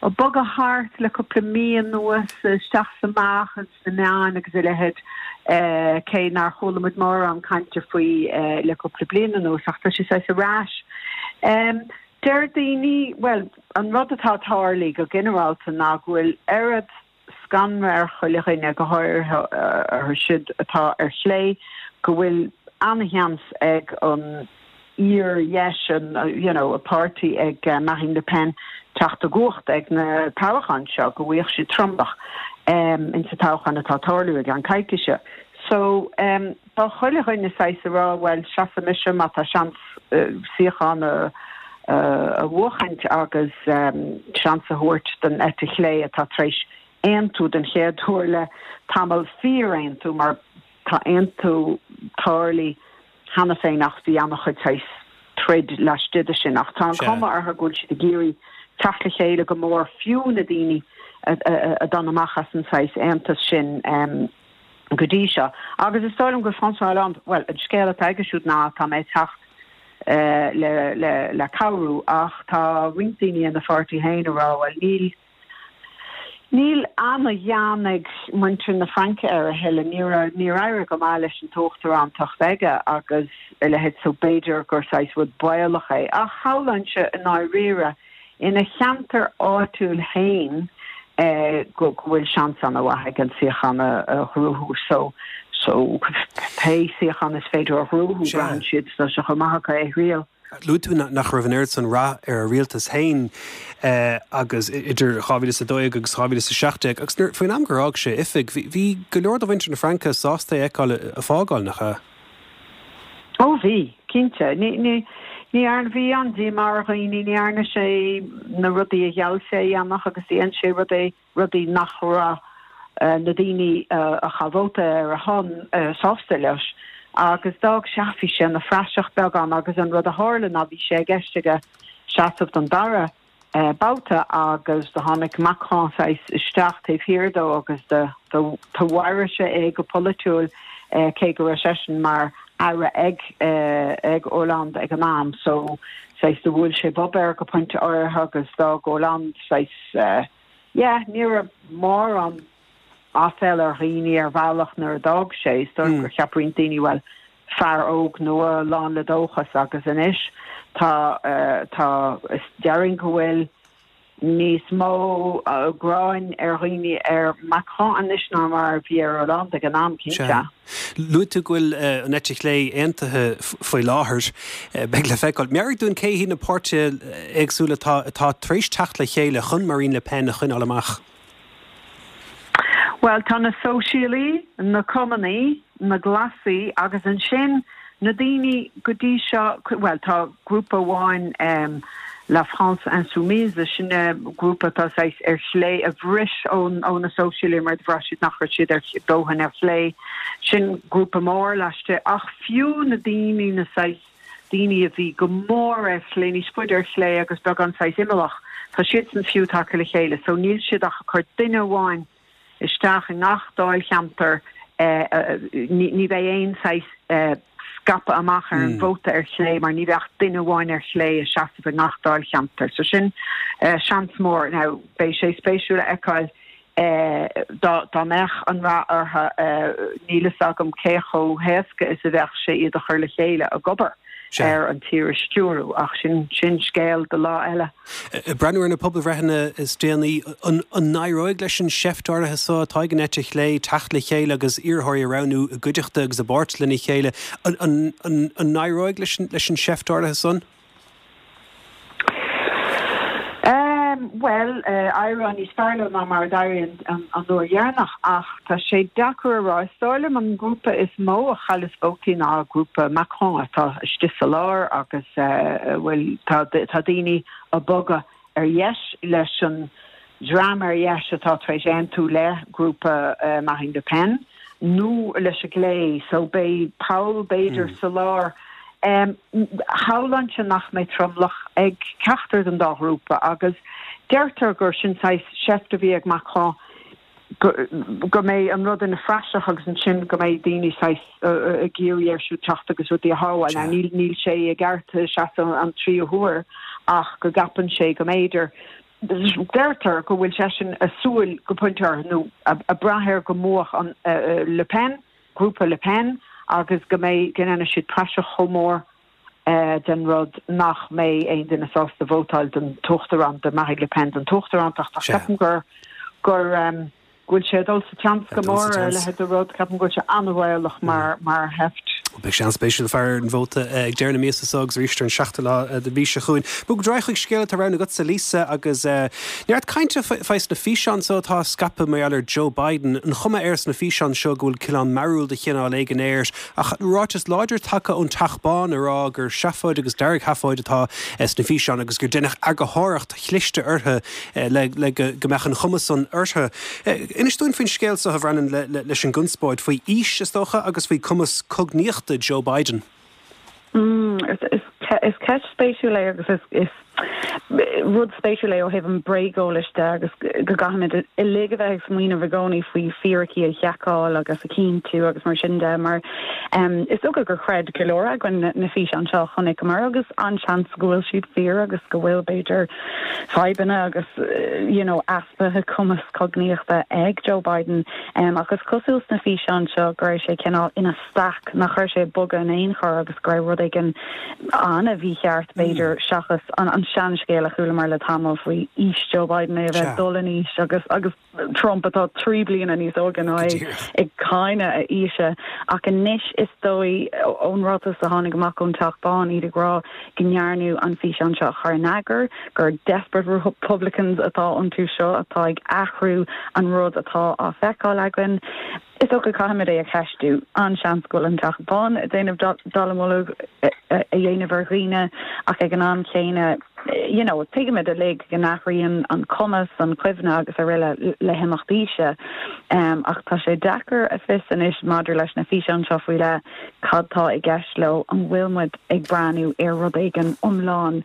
ag bogadh thart le cúpla mí anuas, isteach is amach ins na meáin agus a leithéid, cé nár chuala muid mórán cainte faoi le cúpla bliain anuas, ach tá sé saghas ar ais. Deir daoine, bhuel, an rud atá ag tarlú go ginearálta ná go bhfuil oiread scanradh ar chuile dhuine, go háirithe orthu siúd atá ar chlé, go bhfuil an-sheans ag an fhíor-dheis, an you know, páirtí ag Marine Le Pen teacht i gcumhacht ag na toghcháin seo, go bhfaighidh siad tromlach insa toghchán atá ag tarlú i gceann coicíse. So tá chuile dhuine saghas ag rá, bhuel, seasfaidh mise má tá seans suíochán a a bhuachaint agus seans a thabhairt don eite chlé atá tar éis aontú den chéad uair le tamall, fíor-aontú, mar tá aontú tarlaithe cheana féin ach bhí an-chuid saghas troid laistigh de sin. Ach tá an chuma orthu go bhfuil siad ag iarraidh teacht le chéile go mór, fiú na daoine a d'fhan amach as an saghas aontas sin go dtí seo. Agus is dóigh liom go François Hollande, bhuel, an scéal atá aige siúd ná tá mé ag teacht le, le, le cabhrú ach tá roinnt daoine ina pháirtí féin ag rá, bhuel, níl, níl an-ghean ag muintir na Fraince air a thuilleadh, níor, níor éirigh go maith leis an t-uachtarántacht aige agus a leithéid so b'fhéidir gur saghas rud baolach é. Ach shamhlóinnse i ndáiríre, ina cheantar áitiúil féin go bhfuil seans an-mhaith aige an suíochán a ghnóthú so so pé suíochán is féidir a ghnóthú braitheann siad tá sé chomh maith acu é a thriail. Luaigh tú nach raibh an oiread san rath ar a rialtas féin agus idir 2012 agus 2017 agus nuair faoin am gur fhág sé oifig bhí go leor de mhuintir na Fraince sásta é a fheiceáil ag fágáil, nach ea? Ó bhí, cinnte. Ní, ní, ní dhearna, bhí an-díomá ar dhaoine, ní dhearna sé na rudaí a gheall sé a dhéanamh agus dhein sé rudaí, rudaí nach raibh na daoine a chaith vóta ar a shon sásta leis. Agus d'fhág sé, bhí sé ina phraiseach beagán agus an rud a tharla ná bhí sé i gceist aige seasamh don dara babhta agus do tháinig Macron saghas isteach taobh thiar dó agus do do mharaigh sé é go polaitiúil cé go raibh seisean mar aire ag ag Hollande ag an am so saghas do bhuail sé bob air go pointe áirithe agus d'fhág Hollande saghas yeah ní raibh mórán aiféal ar dhaoine ar bhealach nuair a d'fhág sé. Is dóigh gur cheap roinnt daoine bhuel fear óg nua lán le dóchas agus anois tá tá is déarfainn go bhfuil níos mó gráin ar dhaoine ar Macron anois ná mar a bhí ar Hollande ag an am, cinnte. Sea. Luaigh tú go bhfuil an eite chlé aontaithe faoi láthair. Beidh le feiceáil. Meabhraigh dúinn cé hiad na páirtithe éagsúla atá atá tar éis teacht le chéile chun Marine Le Pen a choinneáil amach. Bhuel, tá na Sóisialaí, na Cumannaí, na Glasaí agus ansin na daoine go dtí seo, bhuel, tá grúpa amháin, La France Insoumise, sin grúpa atá saghas ar chlé, a bhris ó na Sóisialaí mar do bhraith siad nach raibh siad ar dóthain ar chlé. Sin grúpa mór laistigh. Ach fiú na daoine, na saghas daoine a bhí go mór ar chlé, níos faide ar chlé agus beagán saghas imeallach, tá siadsan fiú tagtha le chéile so níl siad ach ag cur duine amháin isteach i ngach dáilcheantar, ní bheidh aon saghas scaipeadh amach ar an vóta ar chlé mar ní bheidh ach duine amháin ar chlé ag seasamh i ngach dáilcheantar. So sin seans mór. Now beidh sé spéisiúil a fheiceáil Dá mbeadh an rath orthu, níl fhios agam cé chomh héasca is a bheadh sé iad a chur le chéile ag obair ar an tír a stiúradh, ach sin sin scéal do lá eile. Ag breathnú ar na pobalbhreitheanna is déanaí, an n-éireoidh leis an seift áirithe seo atá ag an eite chlé teacht le chéile agus iarrthóirí a roghnú i gcuideachta agus i bpáirt lena chéile, an n-éireoidh leis an seift áirithe san? Bhuel, éireoidh níos fearr leo ná mar a d'éirigh an uair dheireanach, ach tá sé deacair a rá. Is dóigh liom an grúpa is mó a chailleas vótaí ná grúpa Macron atá istigh sa lár agus bhuel, tá daoine ag bogadh ar dheis leis an dream ar dheis atá tar éis aontú le grúpa Marine Le Pen nó leis an gclé so beidh poll b'fhéidir sa lár. Shamhlóinnse nach mbeidh tromlach ag ceachtar den dá ghrúpa agus deirtear gur sin saghas seift a bhí ag Macron go mbeidh an rud ina phraiseach agus ansin go mbeidh daoine saghas ag iarraidh air siúd teacht agus rudaí a shábháil. Now níl níl sé i gceart seasamh an tríú huair ach go gceapann sé go mb'fhéidir deirtear go bhfuil seisean ag súil go pointe áirithe nó ag brath air go mbuafadh an Le Pen, grúpa Le Pen agus go mbeidh go ndéanfaidh siad praiseach chomh mór den rud nach mbeidh aon duine sásta vótáil don t-uachtarán, do Marine Le Pen don t-uachtarántacht ach ceapaim gur gur go bhfuil sé ag dul sa tseans go mór ar a leithéid de rud. Ceapaim go bhfuil sé an-bhaolach mar mar sheift. Beidh sé an-spéisiúil faire ar an vóta ag deireadh na míosa seo agus arís ar an seachtú lá den mhí seo chugainn. Bog ar aghaidh chuig scéal atá roghnaithe agatsa, Lisa, agus neart cainte faoi sna físeáin seo atá á scaipeadh mar gheall ar Joe Biden. An chuma air sna físeáin seo go bhfuil cineál mearúil de chineál éigin air Ach ráiteas láidir tagtha ón Teach Bán ag rá gur seafóid agus deargsheafóid atá sna físeáin agus gur deineadh eagarthóireacht chliste orthu le go mbeadh an chuma san orthu. Inis dúinn faoin scéal seo a Bhreandáin leis an gconspóid faoi aois, is dócha, agus faoi cumas cognaíochta Joe Biden. Is ceist spéisiúil é agus is rud spéisiúil é ó thaobh an bréageolais de agus go gcaithfimid uilig a bheith ag smaoineamh i gcónaí faoi fíricí a sheiceáil agus a chinntiú agus mar sin de mar is dócha gur chreid go leor againn na físeáin seo a chonaiceamar agus an-seans go bhfuil siad fíor agus go bhfuil b'fhéidir fadhbanna agus you know easpa cumas cognaíochta ag Joe Biden ach is cosúil sna físeáin seo go raibh sé cineál ina staic, nach raibh sé ag bogadh in aon chor agus go raibh rud éigin an-mhícheart, b'fhéidir, seachas an seanscéal a chualamar le tamall faoi aois Joe Biden, é a bheith ag dul in aois agus agus Trump atá 3 bliana níos óige ná é ag cáineadh a aoise. Ach anois is dóigh, ón ráiteas a tháinig amach ón Teach Bán, iad ag rá go ndearnadh an físeán seo a chur in eagar, gur desperate Republicans atá iontu seo atá ag athrú an rud atá á feiceáil againn. Is dócha caithfimid é a cheistiú. An-seans go bhfuil an Teach Bán ag déanamh dallamullóg a dhéanamh ar dhaoine ach ag an am chéanna, you know, tuigimid uilig go n-athraíonn an cumas, an chuimhne agus araile le himeacht aoise. Ach tá sé deacair a fios anois maidir leis na físeáin seo faoi leith cad tá i gceist leo, an bhfuil muid ag breathnú ar rud éigin iomlán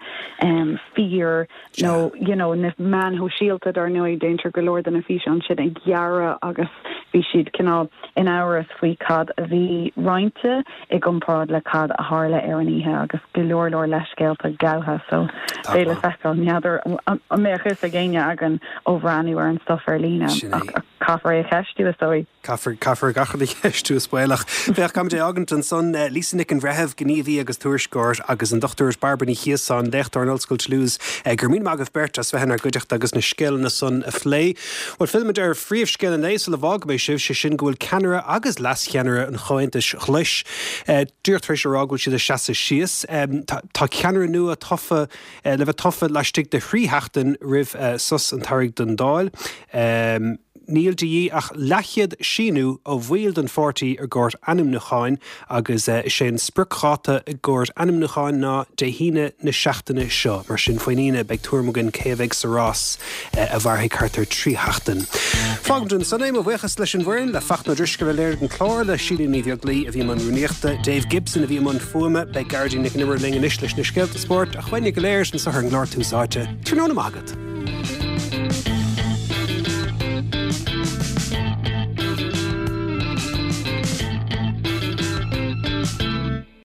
fíor nó you know na meáin shóisialta dar ndóigh déantar go leor de na físeáin sin a ghearradh agus bhí siad cineál in amhras faoi cad a bhí roinnte i gcomparáid le cad a tharla ar an oíche agus go leor leor leithscéalta gabhtha so beidh le feiceáil. N'fheadar an mbeadh fhios ag éinne againn ó bhreathnú ar an stuif ar líne ach caithfear é a cheistiú is dóigh. Caithfear, caithfear gach rud a cheistiú is baolach. Féach, caithfimid é a fhágaint ansan. Lisa Nic an Bhreithimh, gníomhaí agus tuairisceoir, agus an Dr Bairbre Ní Chiosáin, léachtóir in Ollscoil Toulouse. Go raibh míle maith agaibh beirt as bheith inár gcuideachta agus na scéalana san a phlé. Bhuel, fillfimid ar phríomhscéal an lae sula bhfágfaidh mé sibh, sé sin go bhfuil ceannaire agus leascheannaire an Chomhaontais Ghlais díreach tar éis a rá go bhfuil siad ag seasamh síos. Tá ceannaire nua tofa le bheith tofa laistigh de thrí sheachtain roimh sos an tsamhraidh don Dáil. Níl de dhíth ach leathchéad síniú ó bhaill den pháirtí i gcomhair ainmniúcháin agus is é an spriocdháta i gcomhair ainmniúcháin ná Dé hAoine na seachtaine seo. Mar sin, faoin Aoine beidh tuairim againn cé a bheidh sa rás a mhairfidh thart ar thrí sheachtain. Fágaimid ansan é. Mo bhuíochas leis an bhfoireann, le Fachtna Ó Drisceoil a léirigh an clár, le Síle Ní Bheaglaoi a bhí i mbun rúnaíochta, Dave Gibson a bhí i mbun fuaime. Beidh Gearóidín Nic an Iomaire linn anois leis na scéalta spóirt ach uainne go léir anseo ar an gclár Tús Áite. Tráthnóna maith agat.